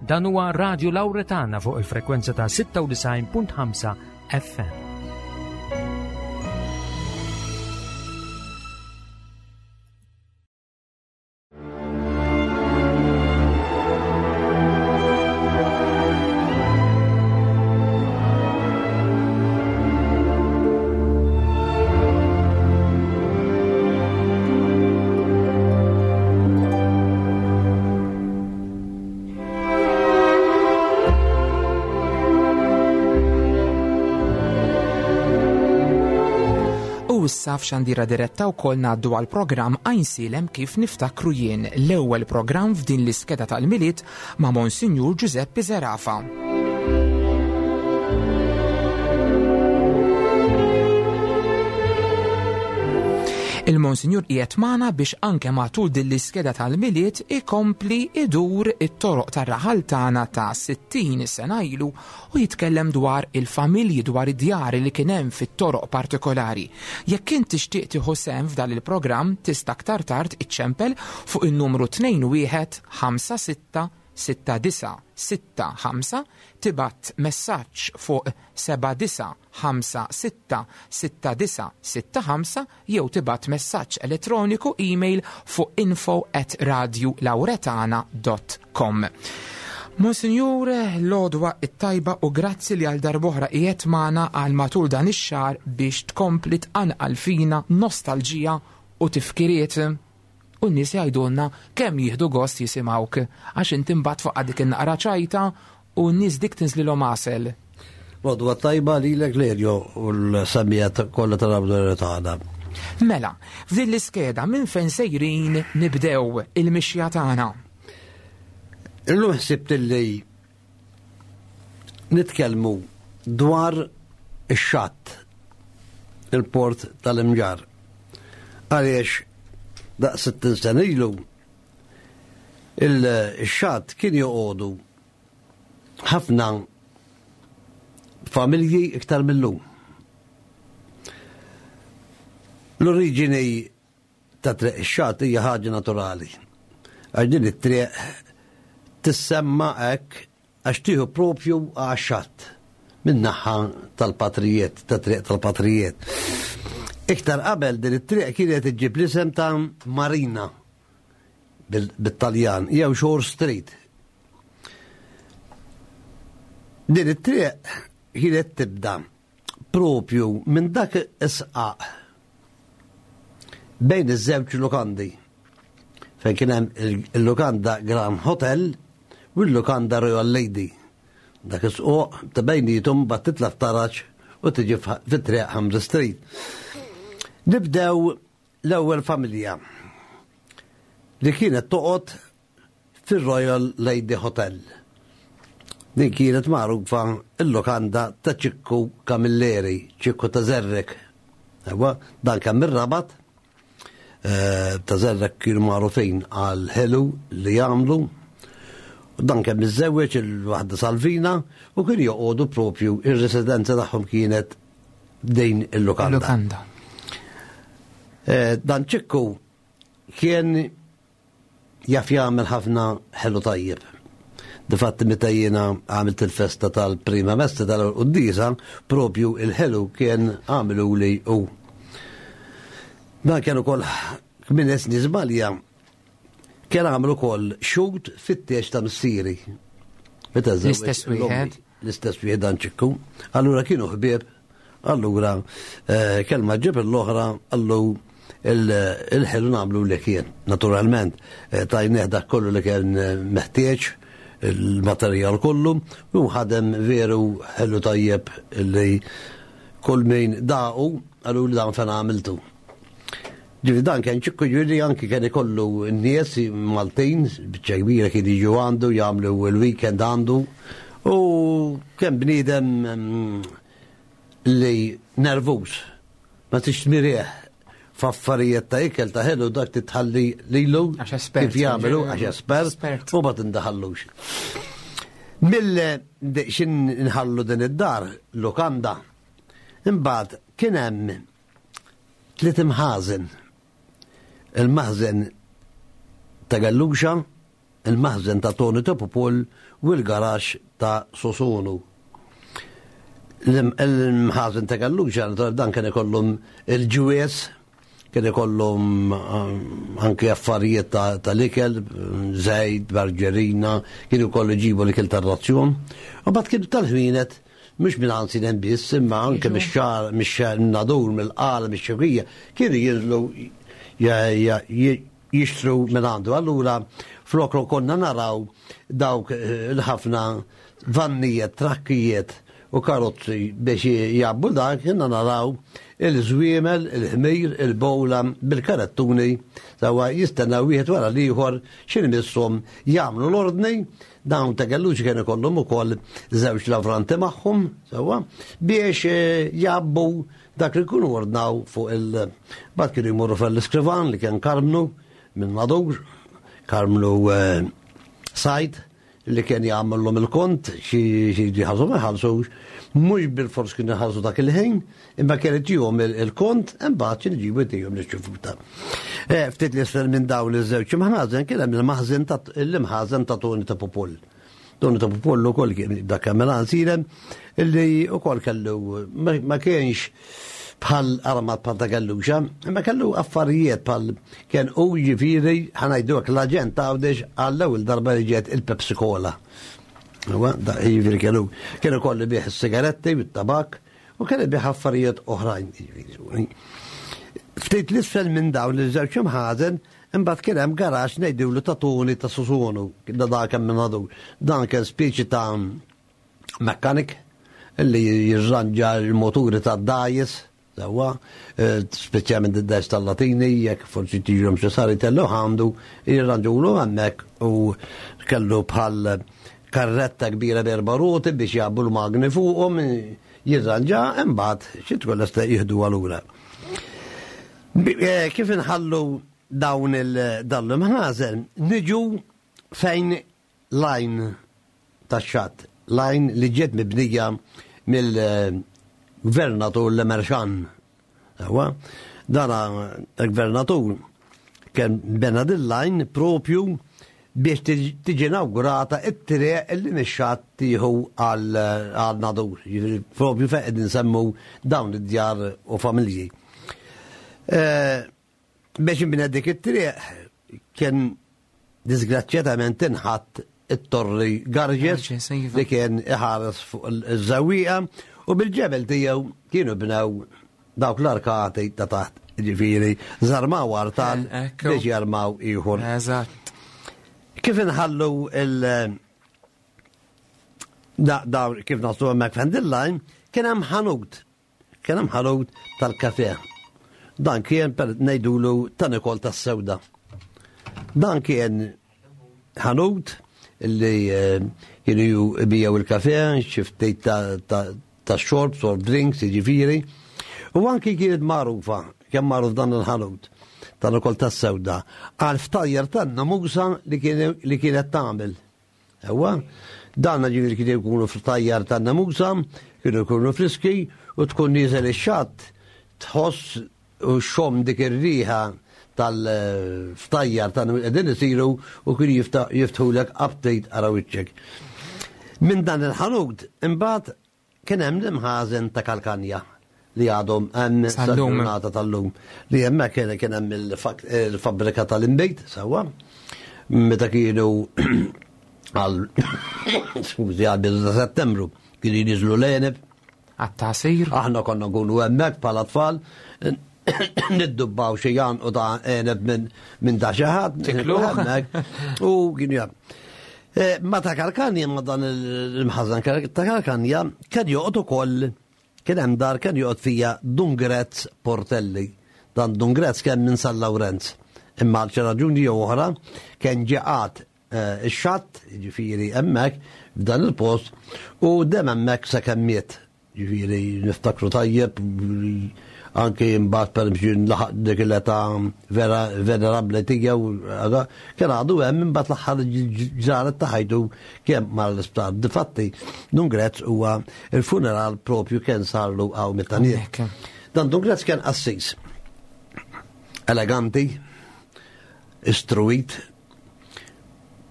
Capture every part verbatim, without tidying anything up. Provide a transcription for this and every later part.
Dan huwa Radio Lauretana fuq il-frekwenza ta' sitta u disgħin punt ħamsa F M. Issa f'xandira diretta wkoll ngħaddu għal programm Għajnsielem kif niftakru jien, l-ewwel programm f'din l-iskeda tal-Milied ma' Monsinjur Giuseppe Zerafa. Il-Monsinjur qiegħed magħna biex anke matul din l-iskeda tal-Milied ikompli idur it-toroq tar-raħal tagħna ta' sittin sena ilu u jitkellem dwar il-familji, dwar id-djar li kien hemm fit-toroq partikolari. Jekk int tixtieq tieħu sehem f'dan il-programm tista' aktar tard iċċempel fuq in-numru tnejn wieħed ħamsa sitta sitta disa' sitta ħamsa, tibgħat messaġġ fuq seba' disa' ħamsa sitta sitta disa' sitta ħamsa jew tibgħat messaġġ elettroniku email fuq info at radio lauretana dot com. Monsinjur, l-għodwa it-tajba u grazzi li għal darb'oħra qiegħed magħna għal matul dan ix-xahar biex tkompli tqanqal fina nostalġija u tifkiriet. U n-nies jgħidulna kemm jieħdu gost jisimgħuk għax inti mbagħad fuq dik in-naqra ċajta u n-nies dik tinżlilhom għasel. Għodwa tajba lilek Lerjo u l-semmijiet kollha tal-Awdorja tagħna. Mela, f'din l-iskeda minn fejn sejrin nibdew il-mixja tagħna? Illum ħsibt li nitkellmu dwar ix-xatt, il-port tal-Imġarr. Għaliex daqs sittin sena ilu il-xatt kien joqogħdu ħafna familji iktar mill-lum. L-oriġini ta' triq ix-xatt hija ħaġa naturali. Għax din it-triq tissemma hekk għax tieħu propju għax-xatt min-naħa tal-patrijiet, ta' triq tal-patrijiet. Iktar qabel din it-triq kienet iġġib l-isem ta' Marina bil-, bit-Taljan jew Shore Street. Din it-triq kienet tibda propju minn dak is-sqaq bejn iż-żewġ lukandi. Fejn kien hemm il-, il-lukanda Grand Hotel u l-lukanda Royal Lady. Dak is-squq ta' bejnietom mbagħad titla' f'taraġ u tiġi f-, fit-triq Hamza Street. Nibdew l-ewwel familja li kienet toqgħod fir-Royal Lady Hotel. Din kienet magħrufa l-lukanda ta' Ċikku Camilleri, Ċikku ta' Zerrek. Ewa, dan kien mir-Rabat, eh, ta' Zerrek kienu magħrufin għal ħelu li jagħmlu. U dan kien miżżewweġ il-waħda Salvina u kien joqogħdu propju ir-residenza tagħhom kienet din il-lukanda. Il-lukanda. Eh, dan Ċikku kien jaf jagħmel ħafna ħelu tajjeb. Difatti meta jiena għamilt il-festa tal-prima messa tal-quddiesa, propju il-ħelu kien għamilu li hu. Dan kien ukoll minn esni żbalja kien għamlu ukoll xut fit-tiex ta' missieri. Meta żewweġ L-istess l-ommi, wieħed. L-istess wieħed dan Ċikku. Allura kienu ħbieb, allura, eh, kelma ġib l-oħra, allu il-, il-ħelu nagħmlu li kien. Naturalment, eh, tajnieh dak kollu li kien, eh, meħtieġ, il-materjal kollu, u ħadem veru ħelu tajjeb li kull min daqu, għallu li dan fejn għamiltu. Ġifieri dan kien Ċikku, ġifieri anki kien ikollu n-nies Maltin, biċċa kbira kien jiġu għandu, jagħmlu il-weekend għandu, u kien bniedem, mm, li nervuż, ma tix tmirih f'affarijiet ta' ikel ta' ħelu dak titħalli lilu Għax espert, kif jagħmlu, ġifieri. għax espert, Espert. u ma tindaħallux. Mill xin nħallu din id-dar, lukanda, imbagħad kien hemm tliet imħażen. Il-maħżen ta' Galluxa, il-maħżen ta' Tony Topopol u l-garax ta' Sosonu. Il-mħazen ta' Galluċa, dan kien ikollhom il-ġwies, kien ikollhom anke affarijiet tal-ikel, żejt, marġerina, kienu jkollu jġibu l-ikel tar-razzjon. U mbagħad kienu tal-ħwienet, mhux minn Għajnsielem biss, imma anke mix-xagħar, mix-Nadur, mill-Qala, mix-Xewkija, kienu jinżlu jixtru minn għandu. Allura flok konna naraw dawk il-ħafna vannijiet, trakkijiet u karozzi biex jgħabbu dak, kienna naraw il-żwiemel, il-ħmir, il-bowla bil-karettuni, sawa jistennaw wieħed wara l-ieħor x'inhi misshom jagħmlu l-ordni. Dawn ta' Galluċi kienu ikollhom ukoll żewġ lavranti magħhom, sawa, biex jgħabbu dak li jkunu ordnaw fuq il- Bad kienu jmorru fl-iskrivan li kien Karmnu minn Nadur, Karmnu Sajd, li kien jagħmellhom il-kont xi jħallsu ma jħallsux, mhux bil-fors kienu jħallsu dak il-ħin, imma kien itihom il-kont imbagħad xi nġibu jtihom l-ċifuta. Ftit li isfel minn dawn iż-żewġ imħażen kien hemm il-maħżen ta' l-imħażen ta' Toni ta' Popol. Toni ta' Popol ukoll kien dak kemm Għajnsielem illi ukoll kellu ma kienx bħal armat bħal ta' Galluċa, imma kellu affarijiet bħal kien u ġifieri ħanajdu hekk l-aġent Għawdex għall-ewwel darba li ġiet il-Pepsi Cola. Huwa da ġifieri kellu kien ukoll ibigħ is-sigaretti u t-tabak u kien ibigħ affarijiet oħrajn ġifieri. Ftit l-isfel minn dawn iż-żewġ imħażen imbagħad kien hemm garax ngħidulu ta' Toni ta' Susonu, da dak hemm minn għadu. Dan kien speċi ta' mekkanik illi jirranġa l-moturi tad-dgħajjes. Sewwa, speċjalment id-dgħajjes tal-Latini, jekk forsi tiġihom xi sar jtellu għandu, jirranġulu hemmhekk u kellu bħal karretta kbira b'erba' roti biex jgħabbu l-magni fuqhom, jirranġa, imbagħad xi tkun lesta jieħdu allura. Kif inħallu dawn il-dan l-imħażen, niġu fejn lajn tax-xatt, lajn li ġiet mibnija mill-gvernatur Lemerxan. Ewa, dana il-gvernatur kien bena din lajn propju biex tiġi inaugurata it-triq li mix-xatt tieħu għal Nadur. Jiġifieri propju fejn qegħdin nsemmu dawn id-djar u familji. Biex inbina dik it-triq kien disgrazzjatament inħatt it-torri Garġes li kien iħares fuq iż-żewwieqa u bil-ġebel tiegħu kienu bnew dawk l-arkati ta' taħt, ġifieri żarmaw artal biex jarmaw ieħor. Eżatt. Kif inħallu il- da, da, kif naslu hemmhekk fejn line, kien hemm ħanut. Kien hemm ħanut tal-kafe. Dan kien per ngħidulu ta' Nikol tas-Sewda. Dan kien ħanut illi kienu jbiegħu il-kafe, xi ftit ta', ta, ta' xorb, soft drinks, jiġifieri. U anki kienet magħrufa, kemm magħruf dan il-ħanut ta' Nikol tas-Sewda, għal ftajjar tan-namusa li kienet tagħmel. Ewa, dan ġifieri kienu jkunu ftajjar tan-namusa, kienu jkunu friski u tkun nieżel ix-xatt tħoss u xom dik ir-riħa tal-ftajjar tan qegħdin isiru u kienu jiftħulek update ara wiċċek. Minn dan il-ħanut imbagħad kien hemm l-imħażen ta' Kalkanja li għadhom hemm sal-ġurnata tal-lum. Li hemmhekk kien hemm il-fabbrika tal-inbejt sewwa meta kienu għal skużi għal bidu ta' Settembru kienu jniżlu l-għeneb. Għat-tasir. Aħna konna nkunu hemmhekk bħala tfal niddubbaw xi u ta' għeneb minn ta' xi ħadd. U kienu jam. Ma ta' Kalkanja, ma dan il-mħażen ta' Kalkanja, kien joqgħod ukoll, kien hemm dar kien joqgħod fija Dun Grezz Portelli. Dan Dun Grezz kien minn San Lawrenz. Imma għal xi raġuni jew oħra kien ġeqat ix-xatt, jiġifieri hemmhekk f'dan il-post, u dem hemmhekk sakemm miet. Jiġifieri niftakru tajjeb anke imbagħad per laħaq dik l-età vera venerabbli tiegħu kien għadu hemm imbagħad l-aħħar ġranet ta' ħajtu kemm mar l-isptar. Difatti, Dun Grezz huwa il-funeral propju kien sarlu hawn mit-taniet. Dan Dun Grezz kien qassis. Eleganti, istruit,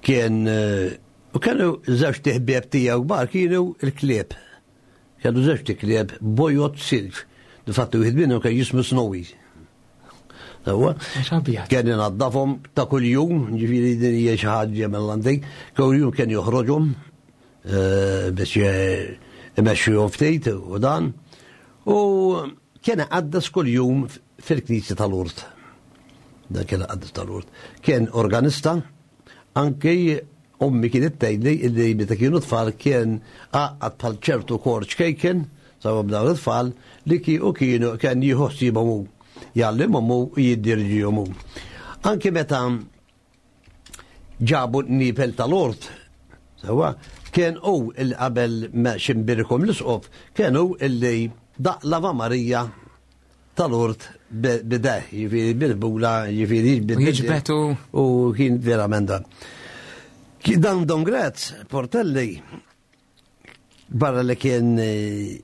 kien U kienu żewġ ħbieb tiegħu kbar kienu il-klieb. Kellu żewġ klieb bojod silġ. Difatti wieħed minnhom kien jismu Snowy. Sewwa. Kien inaddafhom ta' kuljum, ġifieri din hija xi ħaġa mill-antik, kuljum kien joħroġhom eh, biex imexxihom ftit u dan. U kien iqaddes kuljum fil-knisja tal-Urt. Dan kien iqaddes tal-Urt. Kien organista, anki ommi kienet tgħidli illi meta kienu tfal kien għaqqad bħal ċertu kor ċkejken, sawa b'dawn it-tfal, li ki u kienu kien jieħu ħsiebhom hu, jgħallimhom hu u jiddirġihom hu. Anki meta ġabu n-nipel tal-ort, sawa, kien hu il qabel ma ximbirkom l-isqof, kien hu illi daq l-Ave Marija tal-ort bideh, jiġifieri bil-bula, jiġifieri Jiġbetu. U kien verament dan. Dan Don Graz, Portelli, barra li kien eh,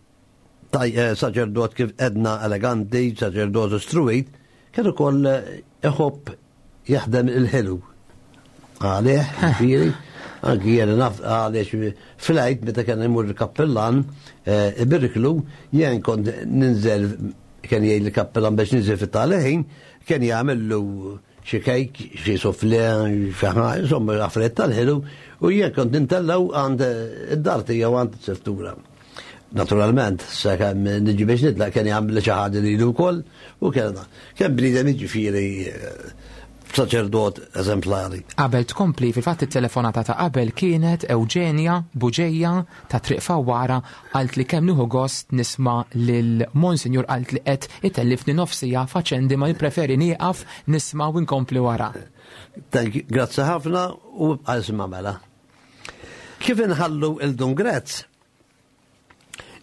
taj- eh, saċerdot kif edna eleganti, saċerdot istruit, kien ukoll eh, iħobb jaħdem il-ħelu. Għalih, ġifieri, anki jena naf għaliex fl-Għid meta kien imur il-kappellan ibiriklu, jien kont ninżel, kien jgħid il-kappellan biex ninżel fit-taleħin, kien jagħmillu xi kejk, xi soufflé, xi ħaġa, insomma affarijiet tal-ħelu, u jien kont nintellaw għand id-dar tiegħu għand is-seftura. Naturalment, sakemm niġi biex nitlaq kien jagħmel xi ħaġa lilu wkoll u kien dan. Kien bniedem jiġifieri saċerdot eżemplari. Qabel tkompli, fil-fatt it-telefonata ta' qabel kienet Eugenia Buġeja ta' Triq Fawwara, qalt li kemm nieħu gost nisma' lil Monsinjur, qalt li qed itellifni nofsija faċendi ma nippreferi nieqaf nisma' u nkompli wara. Thank you, grazzi ħafna u ibqa' isma' mela. Kif inħallu il-Dun Grezz?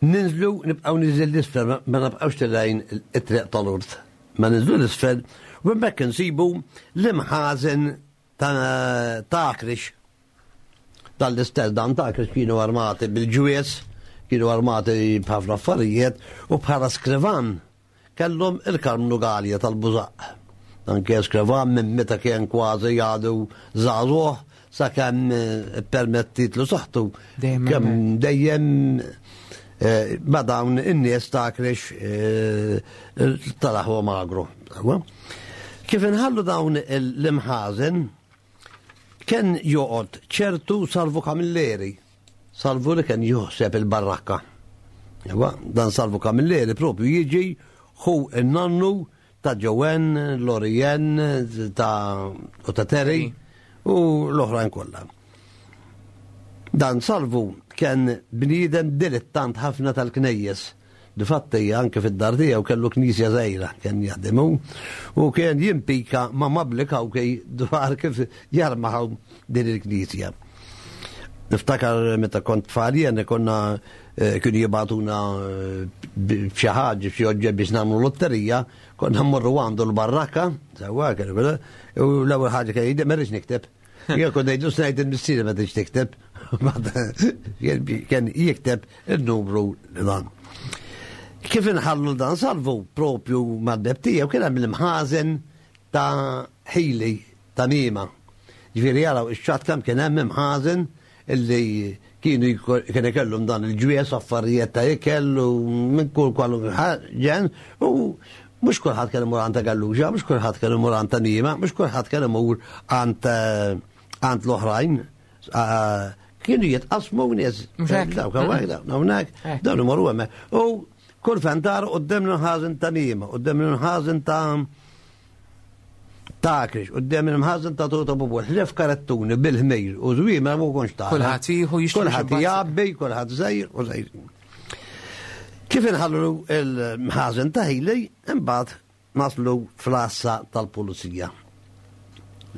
Ninżlu, nibqgħu niżel l-isfel, ma nibqgħux tilgħin it-triq tal-urt. Ma ninżlu l-isfel, u hemmhekk insibu l-imħażen ta' Akrix. Dal-istess dan ta' Akrix kienu armati bil-ġwies, kienu armati b'ħafna affarijiet, u bħala skrivan kellhom il-Karmnu Galja tal-Bużaq. Dan kien skrivan minn meta kien kważi jgħadu żagħżugħ sakemm permettitlu saħħtu. Dejjem Kemm hemmhekk. dejjem, eh, ma dawn in-nies ta' Akrix, eh, tal-aħwa magru. Kif inħallu dawn l-imħażen, kien joqgħod ċertu Salvu Camilleri. Salvu li kien joħseb il-barrakka. Ewa, dan Salvu Camilleri propju jiġi hu n-nannu ta' Joanne, Lorien, ta' u ta' Terry u l-oħrajn kollha. Dan Salvu kien bniedem dilettant ħafna tal-knejjes. Difatti anke fid-dar tiegħu kellu knisja żgħira kien jaħdem hu u kien jimpika ma' Mabli Kawkej dwar kif jarmaħu din il-knisja. Niftakar meta kont tfal jien konna, eh, kienu jibgħatuna, eh, b'xi ħaġa, b'xi oġġett biex nagħmlu lotterija, konna mmorru għandu l-barrakka, sewwa kienu beda, u l-ewwel ħaġa kien jgħid, ma rridx nikteb. Jien kont ngħidu snajt il-missieri ma tridx tikteb. Kien jikteb il-numru dan. Kif inħallu dan Salvu propju mal-beb tiegħu kien hemm l-imħażen ta' ħili ta' Nima. Ġifieri jaraw ix-xatt kemm kien hemm imħażen illi kienu jko-, kien ikellhom dan il-ġwies affarijiet ta' ikel u minn kull kwalu ġen u mhux kulħadd kien imur għand ta' Galluġa, mhux kulħadd kien imur għand ta' Nima, mhux kulħadd kien imur għand, għand l-oħrajn. Ah, kienu jitqasmu nies. Mhux hekk? Dawk hawnhekk, dawk hawnhekk, Hekk. dawn imorru hemmhekk. U kull fejn dar quddiem l-imħażen ta' Nima, quddiem l-imħażen ta' ta' Akrix, quddiem l-imħażen ta' Tuta Bubu, ħlief karettuni bil-ħmir u żwiema ma konx tara. Kulħadd jieħu jixtri Kulħadd xi bazz. jgħabbi, kulħadd żejr u żejr. Kif inħallu l-mħażen ta' ħili, imbagħad naslu fl-għassa tal-pulizija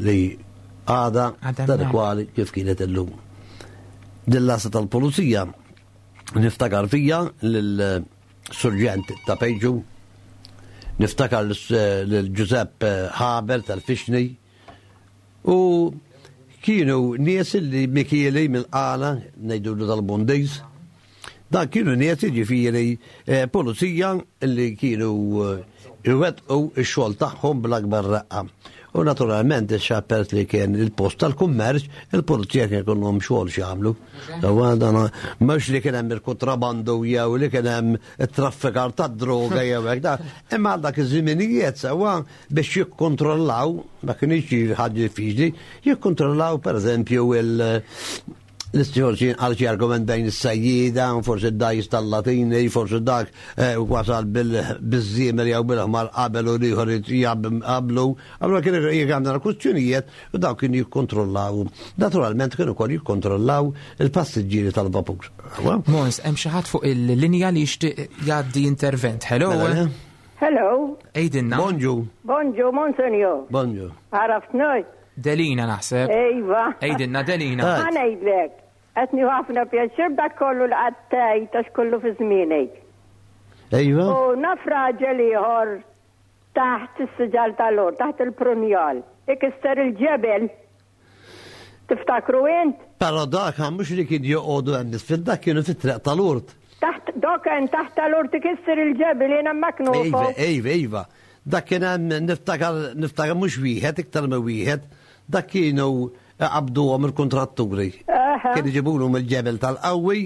li għada Għadha tal hemmhekk. kwali kif kienet illum. Din l-għassa tal-pulizija niftakar fija lil-surġent ta' Pejġu, niftakar lil Giuseppe Haber tal-Fixni, u kienu nies li Mikieli mill-Qala, ngħidulu tal-Bundiż, dan kienu nies jiġifieri, eh, pulizija li kienu, eh, iwettqu x-xogħol tagħhom bl-akbar raqqa. U naturalment ix-xappert li kien il-post tal-kummerċ, il-pulizija kien ikollhom xogħol x'jagħmlu. Dana mhux li kien hemm il-kontrabandu jew li kien hemm it-traffikar tad-droga jew hekk da. Imma għal dak iż-żminijiet sewwa biex jikkontrollaw, ma kienx ħaġa diffiċli, jikkontrollaw pereżempju il- l-istiħorċin għal xi argument bejn is-sajjida, forsi d-dajs tal-Latini, forsi dak wasal bil-żiemel jew bil-ħmar qabel u l-ieħor qablu. Allura kienu jgħamlu kwistjonijiet u dawk kienu jikkontrollaw. Naturalment kienu wkoll jikkontrollaw il-passiġġieri tal-vapur. Mons, hemm xi ħadd fuq il-linja li jixtieq jgħaddi intervent. Hello. Hello. Ejdinna. Bonġu. Bonġu, Monsenjur. Bonġu. Għaraft noi. Delina naħseb. Ejva. Ejdinna, Delina. Ħa ngħidlek. Qed nieħu ħafna pjaċir dak kollu li qatt tgħid għax kollu fi żmienek. Ejva. U naf raġel ieħor taħt is-siġar tal-or, taħt il-prunjal. Ikisser il-ġebel. Tiftakru int? Però dak mhux li kien joqogħdu hemm isfel, dak kienu fit-triq tal-urt. Taħt dak kien taħt tal-urt ikisser il-ġebel jiena maknufu. Ejva, ejva, ejva. Dak kien hemm niftakar niftakar mhux wieħed iktar minn wieħed. Dak kienu qabduhom il-kontratturi. Kienu jġibulhom il-ġebel tal-qawwi,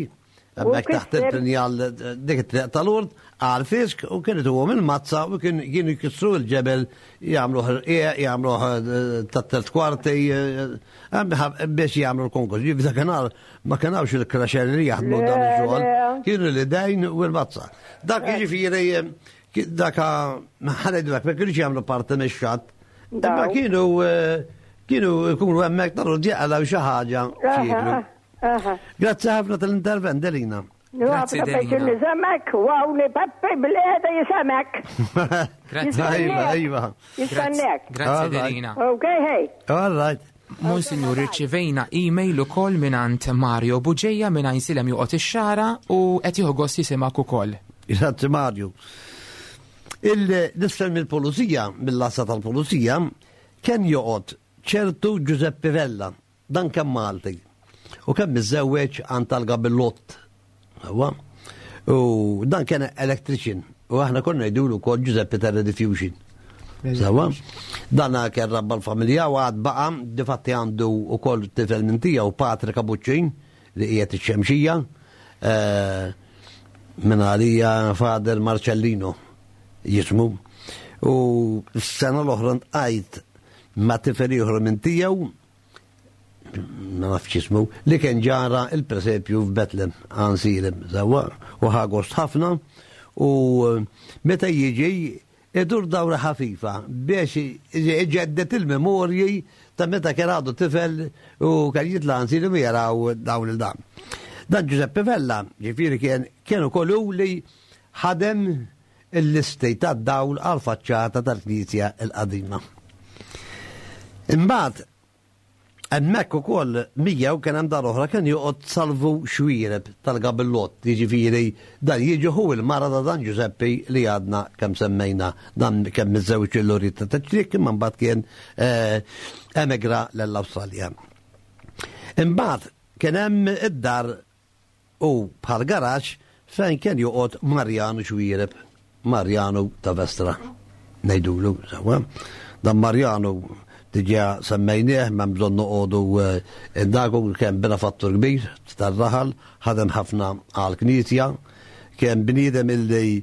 hemmhekk taħt il-prinjal dik it-triq tal-urt, għal fisk, u kienu tuhom il-mazza u kienu jkissru l-ġebel jagħmluh irqiq, jagħmluh tat-telt kwarti biex jagħmlu l-konkors. Ġifieri dakinhar ma kienx il-kraxer li jaħdmu dan ix-xogħol, kienu l-idejn u l-mazza. Dak jiġifieri dak ħanejdulek ma kienux jagħmlu parti mix-xatt, imma kienu kienu jkunu hemmhekk tal-urt jaqalgħu xi ħaġa x'jieklu. Grazzi ħafna tal-intervent, Delina. Grazzi, Delina. Nisemek, wawni Peppi bil-qiegħda jisemek. Grazzi. Iva, iva. Jistennek. Grazzi, Delina. Ok, hey. All right. Monsignor, irċivejna email ukoll mingħand Mario Buġeja minn Għajnsielem joqgħod ix-Xara u qed jieħu gost jisimgħek ukoll. Grazzi, Mario. Il-nisfel mill-pulizija, mill-lassa tal-pulizija, kien joqgħod ċertu Giuseppe Vella, dan kemm Malti. U kemm miżżewweġ għand tal-Gabillott. U dan kien electrician. U aħna konna ngħidulu wkoll Giuseppe Terra Diffusion. Sawa? Dan kien rabba l-familja u għad baqa, difatti għandu wkoll tifel minn tiegħu Patri Kabuċċin li qiegħed ix-Xemxija, minn għalija Fader Marcellino jismu. U s-sena l-oħra ntqajt ma' tifel ieħor minn tiegħu, ma nafx jismu, li kien ġara il-presepju f'Betlem Għajnsielem, sawa, u ħagost ħafna, u meta jiġi idur dawra ħafifa biex iġeddet il-memorji ta' meta kien għadu tifel u kien jitla' Għajnsielem u jaraw dawn il-dam. Dan Giuseppe Vella, ġifieri kien kienu kollu li ħadem il-listi tad-dawl għal-faċċata tal-Knisja l-qadima. Imbagħad hemmhekk ukoll miegħu kien hemm dar oħra kien joqgħod Salvu Xwiereb tal-Gabillott, jiġifieri dan jiġi hu il-mara ta' dan Giuseppe li għadna kemm semmejna, dan kemm miżżewġ il-Lorita ta' Ċriek, imma mbagħad kien emigra l-Awstralja. Imbagħad kien hemm id-dar u bħal garaġġ fejn kien joqgħod Marjanu Xwiereb, Marjanu ta' Vestra, ngħidulu sewwa. Dan Marjanu diġà semmejnieh, ma bżonn noqogħdu indagu, kien benefattur kbir tar-raħal, ħadem ħafna għall-Knisja, kien bniedem illi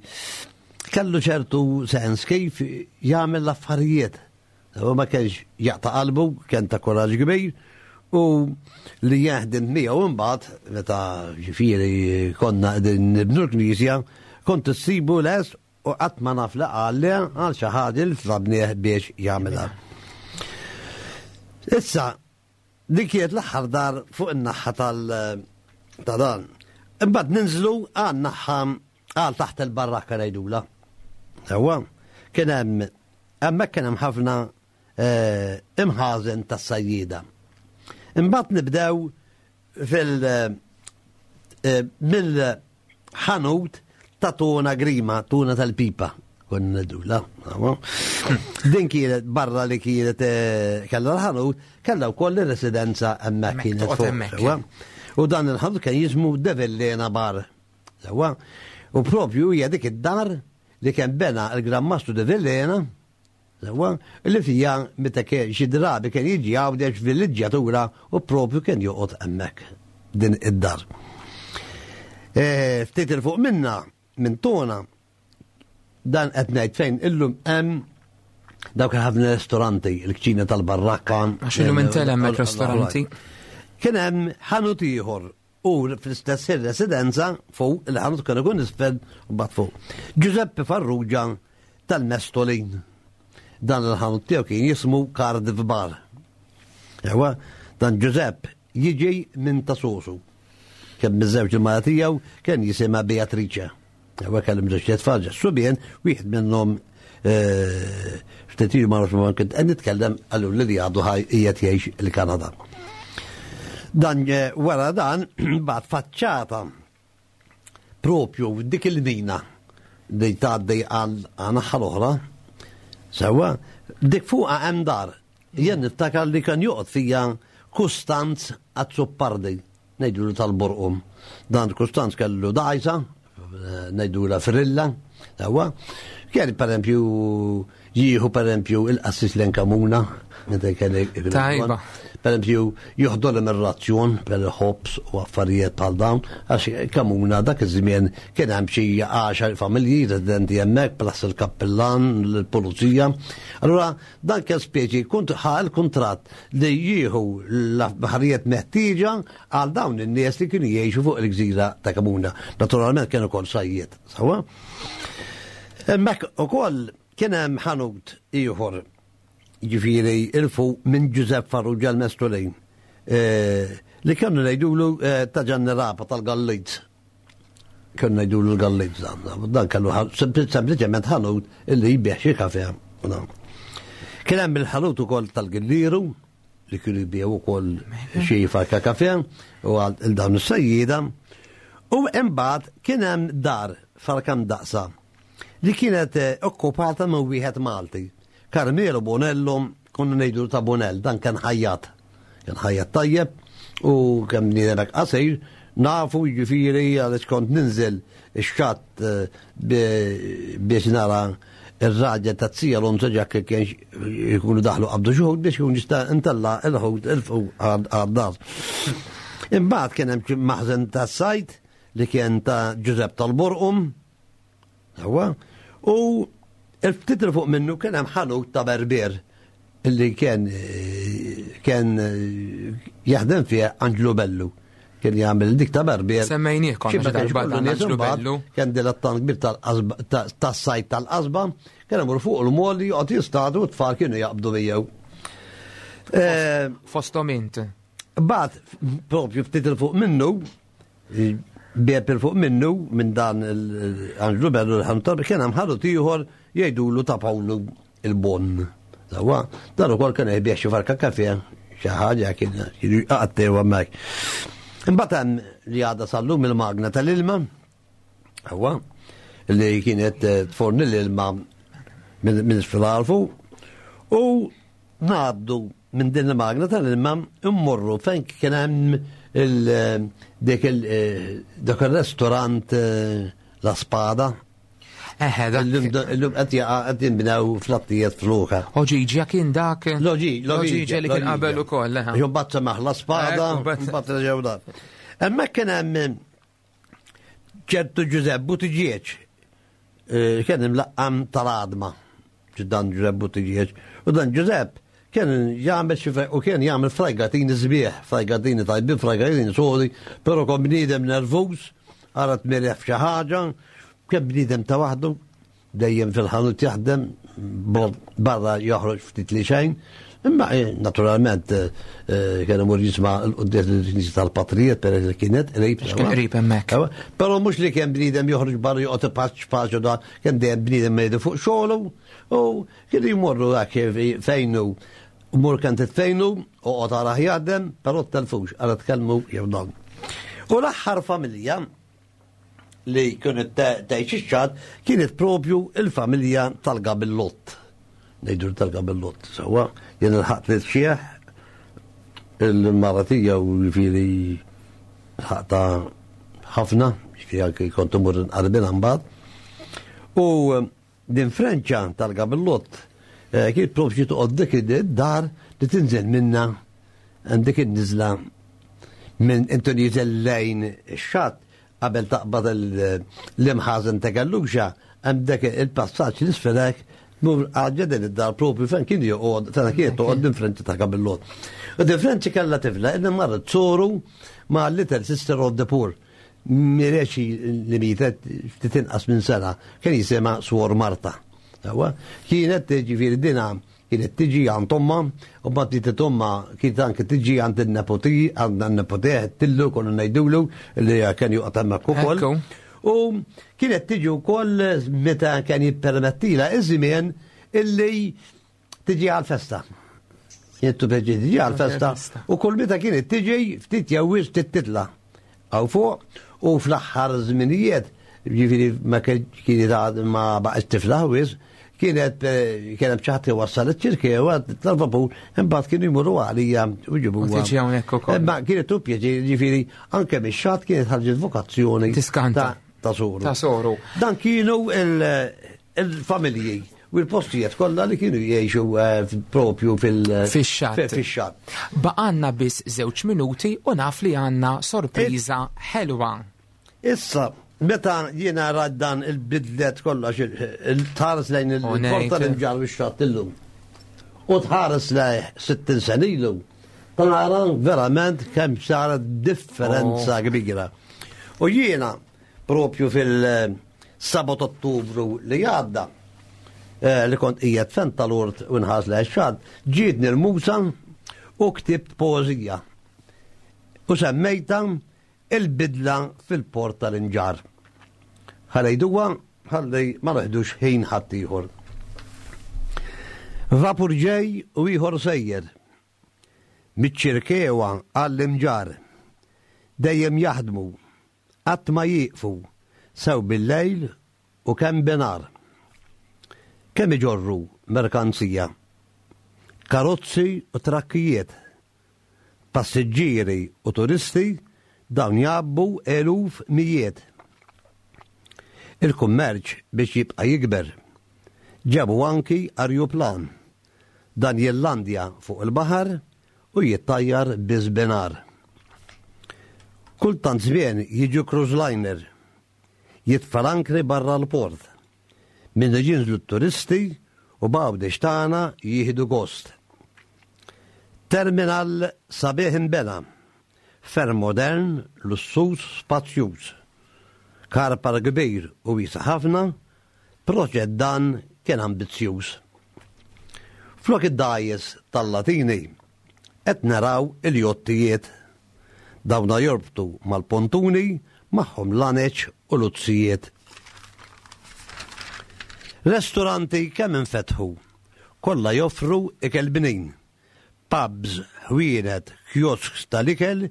kellu ċertu sens kif jagħmel l-affarijiet. U ma kienx jaqta' qalbu, kien ta' kuraġġ kbir, u li jaħdem miegħu imbagħad meta ġifieri konna qegħdin nibnu l-Knisja, kont issibu les u qatt ma naf li qal li għal xi ħaġa li tlabnieh biex jagħmilha. Issa, dik kienet l-aħħar dar fuq in-naħa tal- ta' dan. Imbagħad ninżlu għal naħa għal taħt il-barrakka ngħidula. Sewwa, kien hemm hemmhekk kien hemm ħafna imħażen tas-sajjieda. Imbagħad nibdew fil mill-ħanut ta' Tuna Grima, Tuna tal-Pipa. Konna ngħidula. Din kienet barra li kienet kellha l-ħanut, kellha wkoll ir-residenza hemmhekk kienet fuq. U dan il-ħanut kien jismu Devellena Bar. Sewwa. U propju hija dik id-dar li kien bena il-Gran Mastru Devellena, Sewa, li fija meta xi drabi kien jiġi Għawdex villiġġjatura u propju kien joqgħod hemmhekk din id-dar. Ftit il fuq minna, minn Tona, dan qed ngħid fejn illum hemm dawk ħafna ristoranti, il-kċina tal-Barrakka. Għax illum intel hemmhekk ristoranti. Kien hemm ħanut ieħor u fl-istess residenza fuq il-ħanut kien ikun isfel u mbagħad fuq. Giuseppe Farrugia tal-Mestolin. Dan il-ħanut tiegħu kien jismu Cardiff Bar. Ewa, dan Giuseppe jiġi minn Tasosu. Kien miżżewġ il-mara tiegħu kien jisimha Beatrice. Ewa kellhom żewġ tfal subien, wieħed minnhom ftit ilu ma nafx ma kont qed nitkellem qallu li għadu ħaj qiegħed jgħix il-Kanada. Dan wara dan bagħad faċċata propju dik il-mina li tgħaddi għal naħa l-oħra. Sewa, dik fuqha hemm dar. Jien niftakar li kien joqgħod fija Kustanz Azzopardi, ngħidulu tal-Borqum. Dan Kustanz kellu dgħajsa, ngħidulha Frilla, sewa. Kien pereempju jieħu pereempju il-qassis l-Enkamuna, meta kien Tajba. Pereempju joħdolhom ir-razzjon per ħobs u affarijiet bħal dawn, għax Kamuna dak iż-żmien kien hemm xi għaxar familji residenti hemmhekk plus il-kappellan, l-pulizija. Allura dan kien speċi kunt ħa l-kuntratt li jieħu l-affarijiet meħtieġa għal dawn in-nies li kienu jgħixu fuq il-gżira ta' Kamuna. Naturalment kienu ukoll sajjiet, sawa? Hemmhekk ukoll kien hemm ħanut ieħor, jiġifieri il-fuq minn Giuseppe Farrugia l-Mestolin, li kienu ngħidulu ta' Ġanni Rapa tal-Galliz. Kienu ngħidulu l-Galliz dan, dan kellu sempliċement ħanut illi jbieħ xi kafe. Kien hemm il-ħanut ukoll tal-Gilliru li kienu jbieħu ukoll xi farka kafe u għal dawn is-sejjieda. U imbagħad kien hemm dar farka mdaqsa li kienet okkupata minn wieħed Malti. Carmelo Bonello, konna ngħidu ta' Bonell, dan kien ħajjat. Kien ħajjat tajjeb u kemm bniedem hekk qasir, nafu jiġifieri għaliex kont ninżel ix-xatt biex nara ir-raġel ta' Zija Alonso Ġakk kien jkunu daħlu qabdu xi ħut biex jkun jista' intella' il-ħut il-fuq għad-dar. Imbagħad kien hemm maħżen tas-sajt li kien ta' Giuseppe tal-Borqum, huwa, u il-ftit fuq minnu kien hemm ħanut ta' Berber illi kien kien jaħdem fih Angelo Bellu. Kien jagħmel dik ta' Berber. Semmejnieh konna xi darba dan Angelo Bellu. Kien dilettant kbir tas-sajt tal-qasba, kien imur fuq il-moli joqgħod jistadu u t-tfal kienu jaqbdu miegħu. Fosthom int. Bad propju ftit il fuq minnu, bieb il fuq minnu minn dan Angelo Bellu l-ħantar kien hemm ħanut ieħor jgħidulu ta' Pawlu il-Bon. Sawa, dan ukoll kien jbieħ xi farka kafe, xi ħaġa kien jqattew hemmhekk. Imbagħad hemm li għadha sal-lum il-magna tal-ilma, huwa li kienet tforni l-ilma minn isfel fuq, u ngħaddu minn din il-magna tal-ilma immorru fejn kien hemm dik dak il-restorant La Spada. Eħe, dak. Illum qed jaqa' qed jinbnew flattijiet fluka. Oġiġja kien dak. Loġi, Loġiġa li kien qabel ukoll, eħe. Jew mbagħad semaħ La Spada, mbagħad reġgħu dar. Hemmhekk kien hemm ċertu Giuseppe Buttigieg, kien imlaqqam tal-għadma, dan Giuseppe Buttigieg. U dan Giuseppe kien jagħmel xi u kien jagħmel frajgatini sbieħ, frajgatini tajbin, frajgatini sodi, però kon bniedem nervuż, ara tmirjaħ f'xi ħaġa, kien bniedem ta' waħdu, dejjem fil-ħanut jaħdem, barra joħroġ ftit li xejn, imma naturalment kien imur jisma' l-quddies l-Knisja tal-Patrijiet per li kienet qrib. Kien qrib hemmhekk. Però mhux li kien bniedem joħroġ barra joqgħod ipaċ paċu da, kien dejjem bniedem mejdu fuq xogħlu u kienu jmorru dak fejnu. Mur kan titfejnu u qgħod ara jaħdem, però telfux, ara tkellmu jew dan. U l-aħħar familja li kienet tgħix ix-xatt kienet propju il-familja tal-Gabillott. Ngħidu tal-Gabillott, sewwa, jien il-ħadd li txieħ il-mara tiegħu jiġifieri ħaqta ħafna, jiġifieri anke kont imur nqarbilha mbagħad. U din Frenċa tal-Gabillott Eh, kien propju toqgħod dik id-dar li tinżel minna dik in-niżla minn intu nieżel lejn ix-xatt qabel taqbad l-imħażen ta' Galluxa, hemm dak il-passaġġ l-isfelek mur għadġa din id-dar propju fejn kien joqgħod, tana kien toqgħod din Frenċi ta' Kabillot. U din Frenċi kellha tifla, inna marret soru ma' Little Sister of the Poor. Mireċi li mietet ftit inqas minn sena, kien jisimha Suor Marta. Sewwa, kienet ġifieri dina kienet tiġi għand omma, u mbagħad li omma kienet anke tiġi għand in-nepoti, għand in-nepoti tillu konna ngħidulu li kien joqgħod hemmhekk ukoll. U kienet tiġi wkoll meta kien jippermettila iż-żmien illi tiġi għal-festa. Kienet tiġi tiġi għal-festa u kull meta kienet tiġi ftit jew wisq titla'. Għaw fuq u fl-aħħar żminijiet, ġifieri ma kienet ma baqgħet tiflaħ wisq, kienet kienet ċaħti wassal iċ-Ċirkewwa tal-vapur, imbagħad kienu jmorru għalija u ġibuha. U tiġi hawnhekk ukoll. Imma kienet tu pjaċir, ġifieri anke mix-xatt kienet ħarġet vokazzjoni. Tiskanta. Ta' soru. Ta' soru. Dan kienu il-familji u l-postijiet kollha li kienu jgħixu propju fil- Fix-xatt. Fix-xatt. Baqanna biss żewġ minuti u naf li għandna sorpriża ħelwa. Issa, meta jiena rajt dan il-bidlet kollox, il-tħares lejn il-porta l-Imġarr u x-xatt illum. U tħares lejn sittin sena ilu. Tara verament kemm saret differenza kbira. U jiena propju fil-seba' Ottubru li għadda, li kont qiegħed fen tal-ort u nħares lejn ix-xatt, ġietni l-musa u ktibt poeżija. U semmejta il-bidla fil-port tal-Imġarr. Ħalejduha, ħalli ma neħdux ħin ħadd ieħor. Vapur ġej u ieħor sejjer. Miċ-Ċirkewwa għall-Imġarr. Dejjem jaħdmu, qatt ma jieqfu, sew bil-lejl u kemm binar. Kemm iġorru merkanzija, karozzi u trakkijiet, passiġġieri u turisti dawn jgħabbu eluf mijiet. Il-kummerċ biex jibqa' jikber. Ġabu anki arjuplan. Dan jillandja fuq il-baħar u jittajjar biż-binar. Kultant żmien jiġu cruise liner, jitfa' l-ankri barra l-port. Minn jinżlu t-turisti u b'Għawdex tagħna jieħdu gost. Terminal sabiħ imbena, ferm modern, lussuż, spazjuż. Car park kbir u wiesa' ħafna, proġett dan kien ambizzjuż. Flok id-dgħajjes tal-Latini, qed naraw il-jottijiet. Dawna jorbtu mal-pontuni magħhom laneċ u luzzijiet. Restoranti kemm infetħu, kollha joffru ikel bnin. Pubs, ħwienet, kiosks tal-ikel,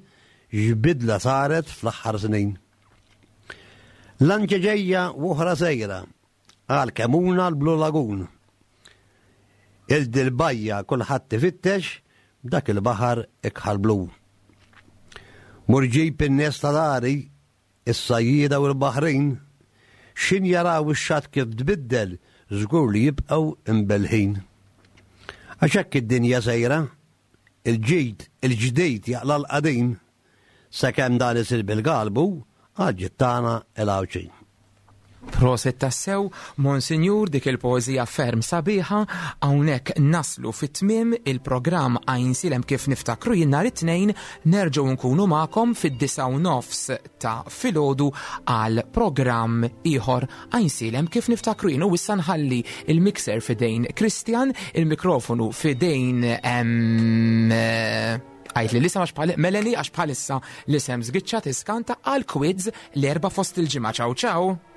x'bidla saret fl-aħħar snin. Lanċa ġejja u oħra sejra, għal Kemuna l-Blue Lagoon. Il-dil-bajja kulħadd ifittex dak il-baħar ikħal blu. Mur ġib in-nies ta' dari, is-sajjieda u l-baħrin, xin jaraw ix-xatt kif tbiddel, żgur li jibqgħu imbelħin. Għax hekk id-dinja sejra, il-ġid, il-ġdid jaqla l-qadim, sakemm dan isir bil-galbu, għal tagħna il-Għawdxin. Prosit tassew, Monsinjur, dik il-poezija ferm sabiħa, hawnhekk naslu fit-tmiem il-programm Għajnsielem kif niftakru jien nhar it-tnejn nerġgħu nkunu magħkom fid-disgħa u nofs ta' filgħodu għal programm ieħor Għajnsielem kif niftakru jien. U issa nħalli il-mixer fidejn Christian, il-mikrofonu fidejn għajt li l-isem għax bħal Melanie, għax bħalissa l-isem żgiċċa tiskanta għal quiz l-erba fost il-ġimgħa. Ciao ciao.